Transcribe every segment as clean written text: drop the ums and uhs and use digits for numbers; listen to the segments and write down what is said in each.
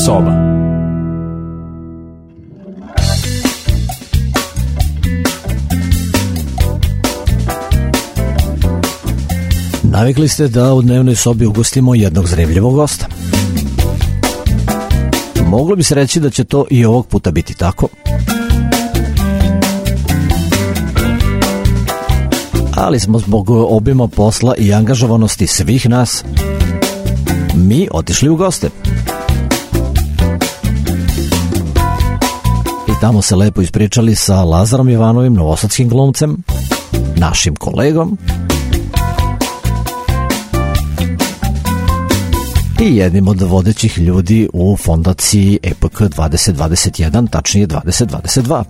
soba. Navikli ste da u dnevnoj sobi ugostimo jednog zanimljivog gosta. Moglo bi se reći da će to i ovog puta biti tako. Ali smo zbog obima posla i angažovanosti svih nas mi otišli u goste. I tamo se lepo ispričali sa Lazarom Jovanovim, novosadskim glumcem, našim kolegom i jednim od vodećih ljudi u fondaciji EPK 2021, tačnije 2022.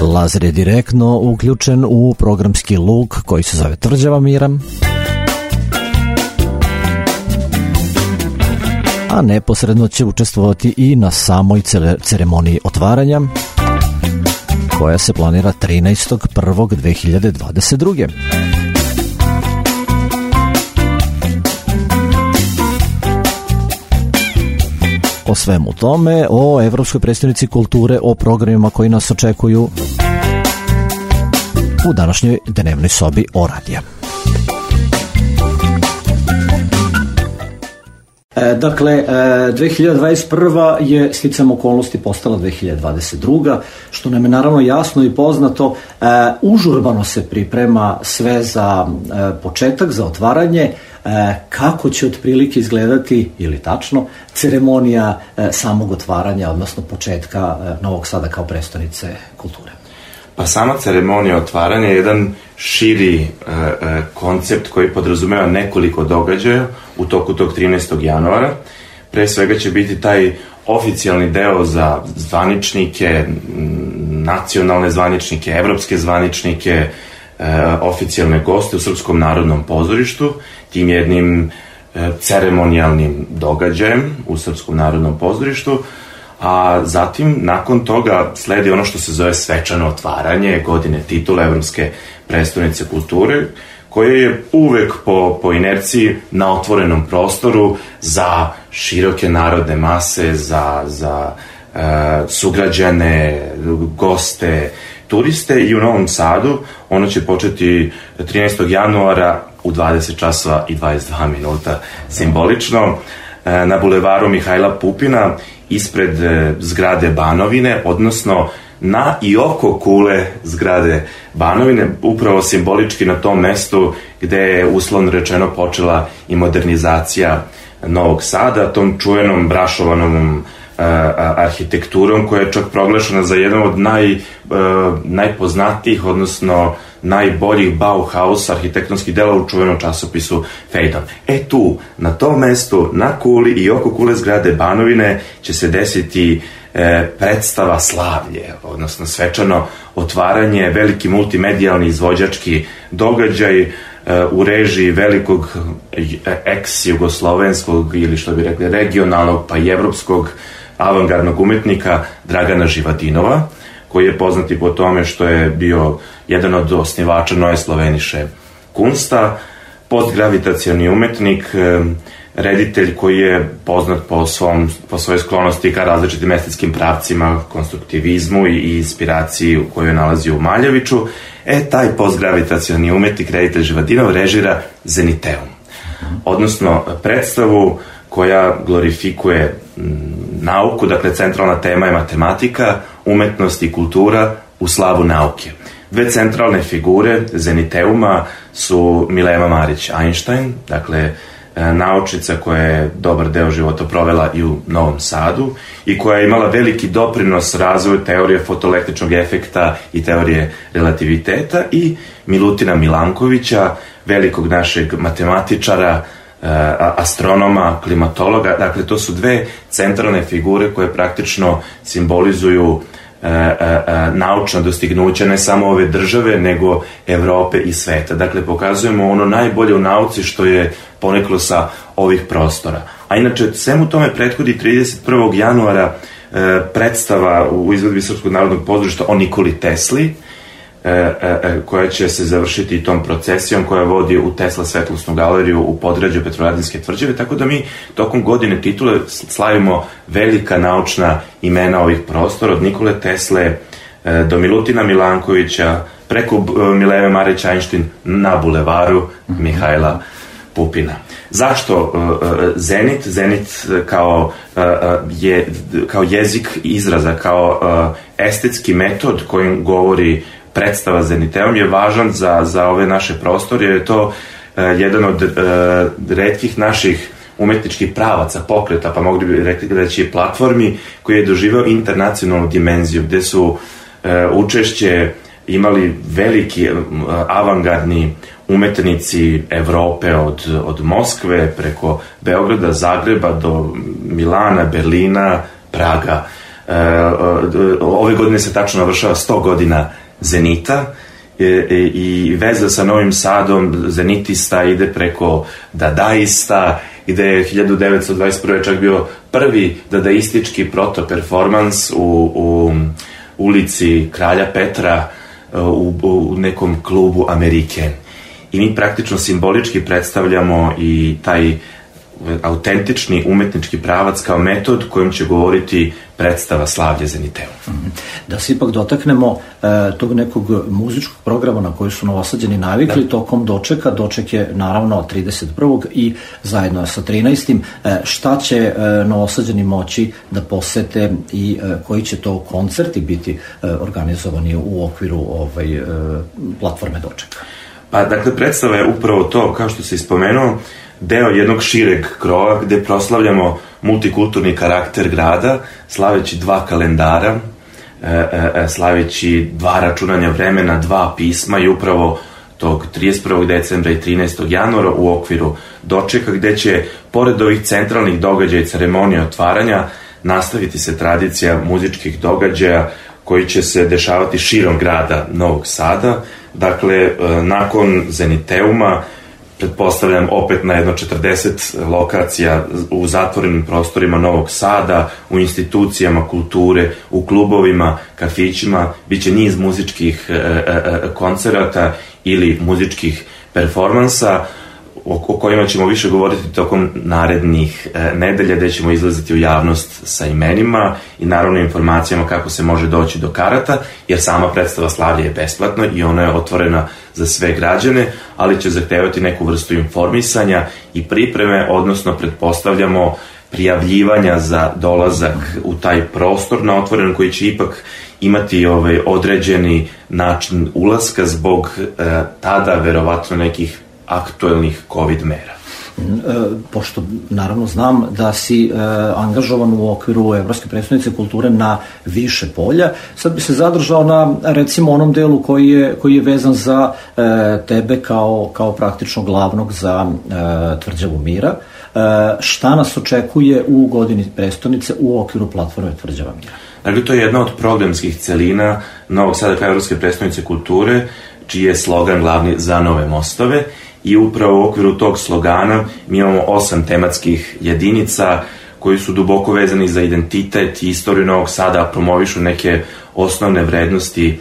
Lazar je direktno uključen u programski luk koji se zove Tvrđava mira, a neposredno će učestvovati i na samoj ceremoniji otvaranja koja se planira 13.1.2022. O svemu tome, o Evropskoj predstavnici kulture, o programima koji nas očekuju u današnjoj dnevnoj sobi Oradija. Dakle, 2021. je sticam okolnosti postala 2022. Što nam je naravno jasno i poznato, užurbano se priprema sve za početak, za otvaranje. Kako će otprilike izgledati, ili tačno, ceremonija samog otvaranja, odnosno početka Novog Sada kao prestonice kulture? Pa sama ceremonija otvaranja je jedan širi koncept koji podrazumeva nekoliko događaja u toku tog 13. januara. Pre svega će biti taj oficijalni deo za zvaničnike, nacionalne zvaničnike, evropske zvaničnike, oficijalne goste u Srpskom narodnom pozorištu, tim jednim ceremonijalnim događajem u Srpskom narodnom pozorištu, a zatim nakon toga sledi ono što se zove svečano otvaranje godine titula Evropske prestonice kulture, koje je uvek po inerciji na otvorenom prostoru za široke narodne mase, za sugrađane, goste, turiste, i u Novom Sadu ono će početi 13. januara u 20 časova i 22 minuta simbolično na bulevaru Mihajla Pupina ispred zgrade Banovine, odnosno na i oko kule zgrade Banovine, upravo simbolički na tom mestu gde je uslovno rečeno počela i modernizacija Novog Sada, tom čuvenom brašovanom arhitekturom koja je čak proglašena za jedan od najpoznatijih, odnosno najboljih Bauhaus arhitektonskih dela u čuvenom časopisu Phaidon. Tu, na tom mestu, na kuli i oko kule zgrade Banovine će se desiti predstava Slavlje, odnosno svečano otvaranje, veliki multimedijalni izvođački događaj u režiji velikog ex-jugoslovenskog ili što bi rekli regionalnog pa i evropskog avangardnog umetnika Dragana Živadinova, koji je poznati po tome što je bio jedan od osnivača Neue Slovenische Kunsta, postgravitacioni umetnik, reditelj koji je poznat po svojoj sklonosti ka različitim estetskim pravcima, konstruktivizmu i inspiraciji u kojoj je nalazio u Maljeviću. Taj postgravitacioni umetnik, reditelj Živadinov, režira Zeniteum, odnosno predstavu koja glorifikuje nauku, dakle centralna tema je matematika, umetnost i kultura u slavu nauke. Dve centralne figure Zeniteuma su Mileva Marić-Einstein, dakle naučnica koja je dobar deo života provela i u Novom Sadu i koja je imala veliki doprinos razvoju teorije fotoelektričnog efekta i teorije relativiteta, i Milutina Milankovića, velikog našeg matematičara, astronoma, klimatologa. Dakle, to su dve centralne figure koje praktično simbolizuju naučna dostignuća ne samo ove države, nego Evrope i sveta. Dakle, pokazujemo ono najbolje u nauci što je poneklo sa ovih prostora. A inače, svemu tome prethodi 31. januara predstava u izvedbi Srpskog narodnog pozorišta o Nikoli Tesli, koja će se završiti tom procesijom koja vodi u Tesla svetlosnu galeriju u podgrađu Petrovaradinske tvrđave, tako da mi tokom godine titule slavimo velika naučna imena ovih prostora, od Nikole Tesle do Milutina Milankovića, preko Mileve Marić Einstein na bulevaru Mihajla Pupina. Zašto Zenit? Zenit kao jezik izraza, kao estetski metod kojim govori predstava Zeniteum je važan za ove naše prostore, jer je to jedan od retkih naših umetničkih pravaca, pokreta, pa mogli bi reći platformi, koji je doživao internacionalnu dimenziju, gde su učešće imali veliki avangardni umetnici Evrope od Moskve preko Beograda, Zagreba do Milana, Berlina, Praga. Ove godine se tačno navršava 100 godina Zenita i veza sa Novim Sadom zenitista ide preko dadaista, gde je 1921. čak bio prvi dadaistički proto-performans u ulici Kralja Petra u nekom klubu Amerike. I mi praktično simbolički predstavljamo i taj autentični umetnički pravac kao metod kojim će govoriti predstava Slavlje Zeniteum. Da se ipak dotaknemo tog nekog muzičkog programa na koji su Novosađani navikli tokom dočeka. Doček je naravno 31. i zajedno sa 13. Šta će Novosađani moći da posete i koji će to koncerti biti organizovani u okviru platforme dočeka? Pa, dakle, predstava je upravo to, kao što se ispomenuo, deo jednog šireg krova gde proslavljamo multikulturni karakter grada, slaveći 2 kalendara, slaveći 2 računanja vremena, 2 pisma i upravo tog 31. decembra i 13. januara u okviru dočeka, gde će, pored ovih centralnih događaja i ceremonije otvaranja, nastaviti se tradicija muzičkih događaja koji će se dešavati širom grada Novog Sada. Dakle, nakon Zeniteuma, pretpostavljam opet na jedno 40 lokacija u zatvorenim prostorima Novog Sada, u institucijama kulture, u klubovima, kafićima, bit će niz muzičkih koncerata ili muzičkih performansa o kojima ćemo više govoriti tokom narednih nedelja, gde ćemo izlaziti u javnost sa imenima i naravno informacijama kako se može doći do karata, jer sama predstava Slavlje je besplatna i ona je otvorena za sve građane, ali će zahtevati neku vrstu informisanja i pripreme, odnosno pretpostavljamo prijavljivanja za dolazak u taj prostor na otvoren, koji će ipak imati određeni način ulaska zbog tada verovatno nekih aktuelnih COVID mera. Pošto naravno znam da si angažovan u okviru Evropske prestonice kulture na više polja, sad bi se zadržao na recimo onom delu koji je vezan za tebe kao praktično glavnog za Tvrđavu mira. Šta nas očekuje u godini prestonice u okviru platforme Tvrđava mira? Dakle, to je jedna od programskih celina Novog Sada kao Evropske prestonice kulture, čiji je slogan glavni za nove mostove. I upravo u okviru tog slogana mi imamo 8 tematskih jedinica koji su duboko vezani za identitet i istoriju Novog Sada, promovišu neke osnovne vrednosti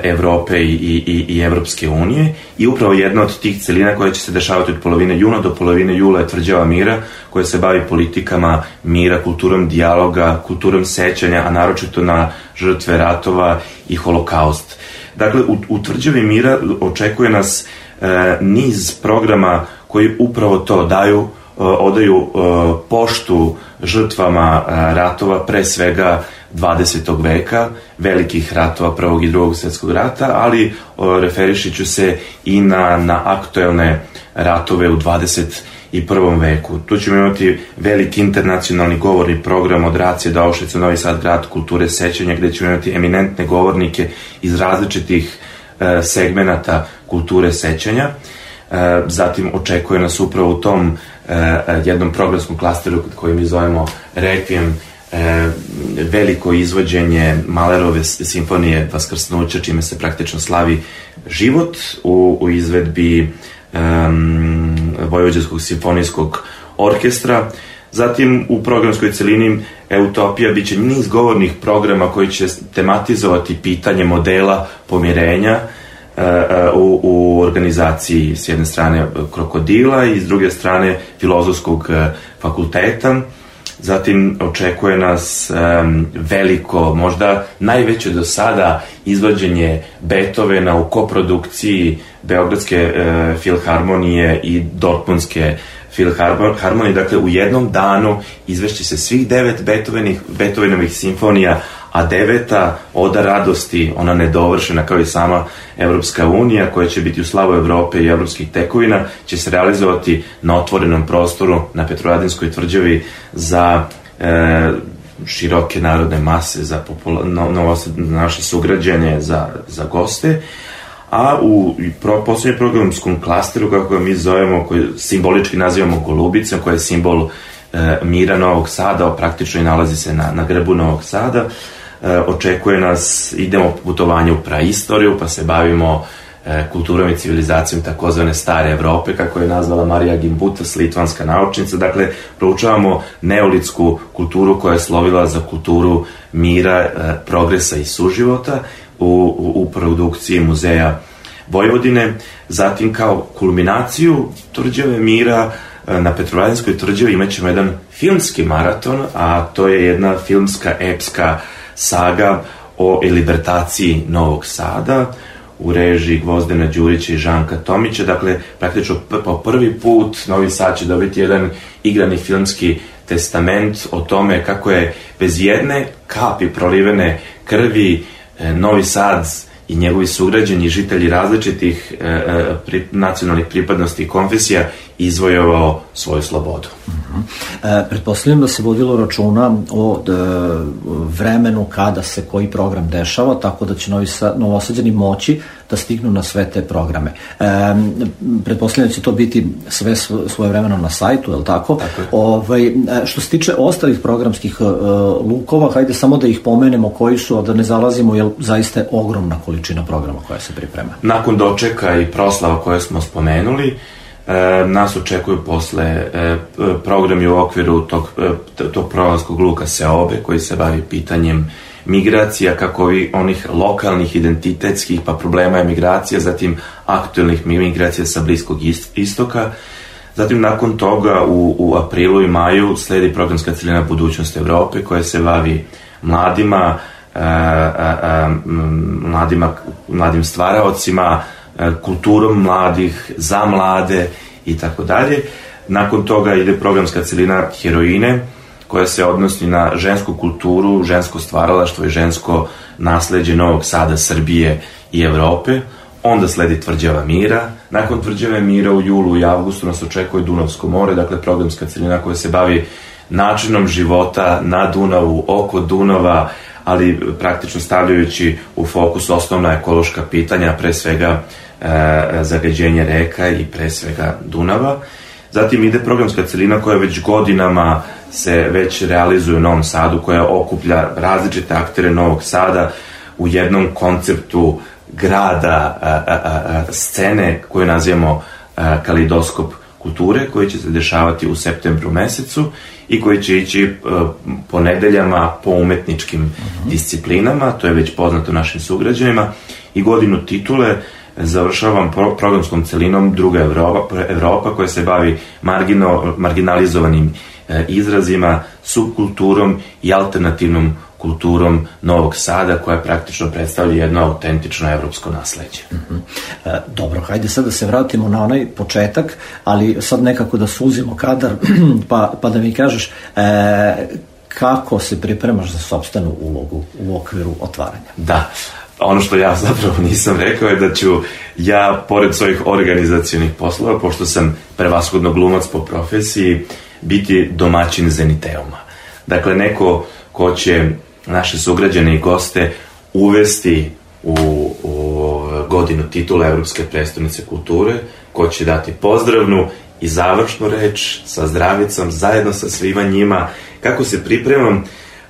Evrope i Evropske unije. I upravo jedna od tih celina koja će se dešavati od polovine juna do polovine jula je Tvrđava mira, koja se bavi politikama mira, kulturom dijaloga, kulturom sećanja, a naročito na žrtve ratova i holokaust. Dakle, u Tvrđavi mira očekuje nas niz programa koji upravo to odaju poštu žrtvama ratova, pre svega 20. veka, velikih ratova Prvog i Drugog svjetskog rata, ali referišiću se i na aktuelne ratove u 21. veku. Tu ćemo imati veliki internacionalni govorni program od Racije do Auschwitza, Novi Sad, grad kulture sećanja, gde ćemo imati eminentne govornike iz različitih segmenata kulture sećanja. Zatim očekuje nas upravo u tom jednom programskom klasteru koji mi zovemo Requiem, veliko izvođenje Mahlerove simfonije Vaskrsnuća, čime se praktično slavi život u izvedbi Vojvođanskog simfonijskog orkestra. Zatim u programskoj celini Utopija biće niz govornih programa koji će tematizovati pitanje modela pomirenja u organizaciji s jedne strane Krokodila i s druge strane Filozofskog fakulteta. Zatim očekuje nas veliko, možda najveće do sada izvođenje Beethovena u koprodukciji Beogradske filharmonije i Dortmundske filharmonije. Dakle, u jednom danu izvešće se svih 9 Beethovenovih simfonija, a 9. Oda radosti, ona nedovršena kao i sama Evropska unija, koja će biti u slavu Evrope i evropskih tekovina, će se realizovati na otvorenom prostoru na Petrovaradinskoj tvrđavi za široke narodne mase, za naše sugrađane, za goste. A u poslednjem programskom klasteru, kako ga mi zovemo, koji simbolički nazivamo Golubicom, koja je simbol mira Novog Sada, praktično i nalazi se na grbu Novog Sada, očekuje nas, idemo putovanje u praistoriju, pa se bavimo kulturom i civilizacijom takozvane stare Evrope, kako je nazvala Marija Gimbutas, litvanska naučnica. Dakle, proučavamo neolitsku kulturu koja je slovila za kulturu mira, progresa i suživota u produkciji Muzeja Vojvodine. Zatim, kao kulminaciju Tvrđave mira, na Petrovaradinskoj tvrđavi imat ćemo jedan filmski maraton, a to je jedna filmska epska saga o libertaciji Novog Sada u režiji Gvozdena Đurića i Žanka Tomića. Dakle, praktično po prvi put Novi Sad će dobiti jedan igrani filmski testament o tome kako je bez jedne kapi prolivene krvi Novi Sad i njegovi sugrađani, žitelji različitih nacionalnih pripadnosti i konfesija, izvojovao svoju slobodu. Pretpostavljam da se vodilo računa o vremenu kada se koji program dešava, tako da će Novosađani moći da stignu na sve te programe. Pretpostavljam da će to biti sve svojevremeno na sajtu, je li tako? Što se tiče ostalih programskih lukova, hajde samo da ih pomenemo koji su, a da ne zalazimo, jer zaista je ogromna količina programa koja se priprema. Nakon dočeka i proslava koje smo spomenuli, nas očekuju posle programi u okviru tog programskog luka Seobe, koji se bavi pitanjem migracija, kako i onih lokalnih, identitetskih, pa problema emigracija, zatim aktuelnih migracija sa Bliskog istoka. Zatim, nakon toga, u aprilu i maju sledi programska celina Budućnost Evrope, koja se bavi mladim stvaraocima, kulturom mladih, za mlade i tako dalje. Nakon toga ide programska celina Heroine, koja se odnosi na žensku kulturu, žensko stvaralaštvo i žensko nasleđe Novog Sada, Srbije i Evrope. Onda sledi Tvrđava mira. Nakon Tvrđave mira u julu i avgustu nas očekuje Dunavsko more, dakle programska celina koja se bavi načinom života na Dunavu, oko Dunava, ali praktično stavljajući u fokus osnovna ekološka pitanja, pre svega zagađenje reka i pre svega Dunava. Zatim ide programska celina koja već godinama se već realizuje u Novom Sadu, koja okuplja različite aktere Novog Sada u jednom konceptu grada, scene koju nazivamo Kaleidoskop kulture, koji će se dešavati u septembru mesecu i koji će ići po nedeljama po umetničkim disciplinama, to je već poznato našim sugrađanima, i godinu titule završavam programskom celinom Druga Evropa, koja se bavi marginalizovanim izrazima, subkulturom i alternativnom kulturom Novog Sada, koja praktično predstavlja jedno autentično evropsko nasleđe. Dobro, hajde sad da se vratimo na onaj početak, ali sad nekako da suzimo kadar, pa da mi kažeš kako se pripremaš za sopstvenu ulogu u okviru otvaranja. Da, ono što ja zapravo nisam rekao je da ću ja, pored svojih organizacionih poslova, pošto sam prevashodno glumac po profesiji, biti domaćin Zeniteuma. Dakle, neko ko će naše sugrađane i goste uvesti u godinu titula Evropske prestonice kulture, ko će dati pozdravnu i završnu reč sa zdravicom, zajedno sa svima njima. Kako se pripremam?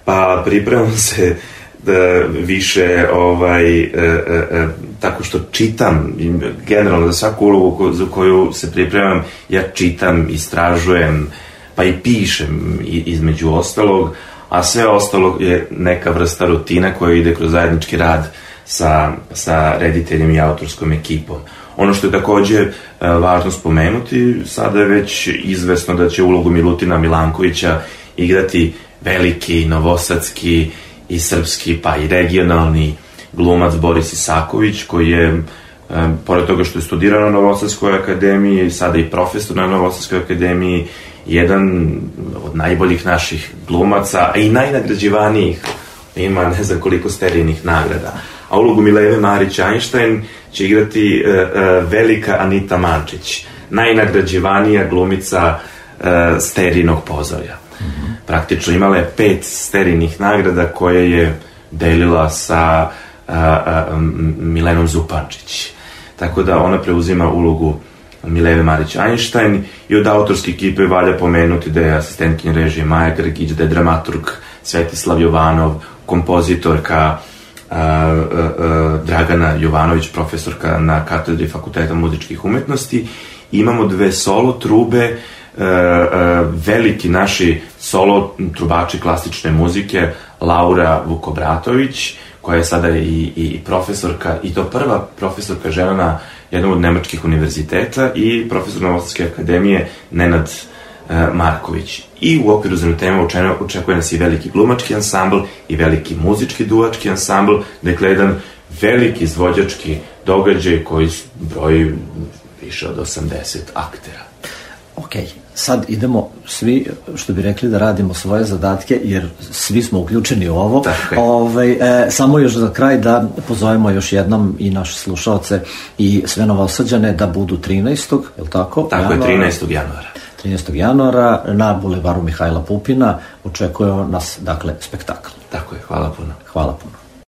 Pa pripremam se više tako što čitam, generalno za svaku ulogu za koju se pripremam, ja čitam, istražujem, pa i pišem između ostalog, a sve ostalo je neka vrsta rutina koja ide kroz zajednički rad sa rediteljem i autorskom ekipom. Ono što je takođe važno spomenuti, sada je već izvesno da će ulogu Milutina Milankovića igrati veliki, novosadski i srpski, pa i regionalni glumac Boris Isaković, koji je, pored toga što je studirao na Novosadskoj akademiji, sada i profesor na Novosadskoj akademiji, jedan od najboljih naših glumaca, a i najnagrađivanijih, ima ne znam koliko sterijnih nagrada. A ulogu Mileve Marić-Einstein će igrati velika Anita Mančić, najnagrađivanija glumica sterijnog pozorja. Praktično imala je 5 sterijnih nagrada koje je delila sa Milenom Zupančić. Tako da ona preuzima ulogu Mileve Marić-Einstein i od autorske ekipe valja pomenuti da je asistentkinja režije Maja Grgić, da je dramaturg Svetislav Jovanov, kompozitorka Dragana Jovanović, profesorka na katedri Fakulteta muzičkih umetnosti. Imamo 2 solo trube, veliki naši solo trubači klasične muzike, Laura Vukobratović, koja je sada i profesorka, i to prva profesorka žena na jednom od nemačkih univerziteta, i profesor Novosadske akademije Nenad Marković. I u okviru Zanutema očekuje nas i veliki glumački ansambl i veliki muzički duvački ansambl, dakle jedan veliki izvođački događaj koji broji više od 80 aktera. Ok, sad idemo svi, što bi rekli, da radimo svoje zadatke, jer svi smo uključeni u ovo. Samo još za kraj da pozovemo još jednom i naše slušalce i sve Novosađane da budu 13. je li tako? Tako je, 13. januara. 13. januara na bulevaru Mihajla Pupina očekuje nas, dakle, spektakl. Tako je, hvala puno. Hvala puno.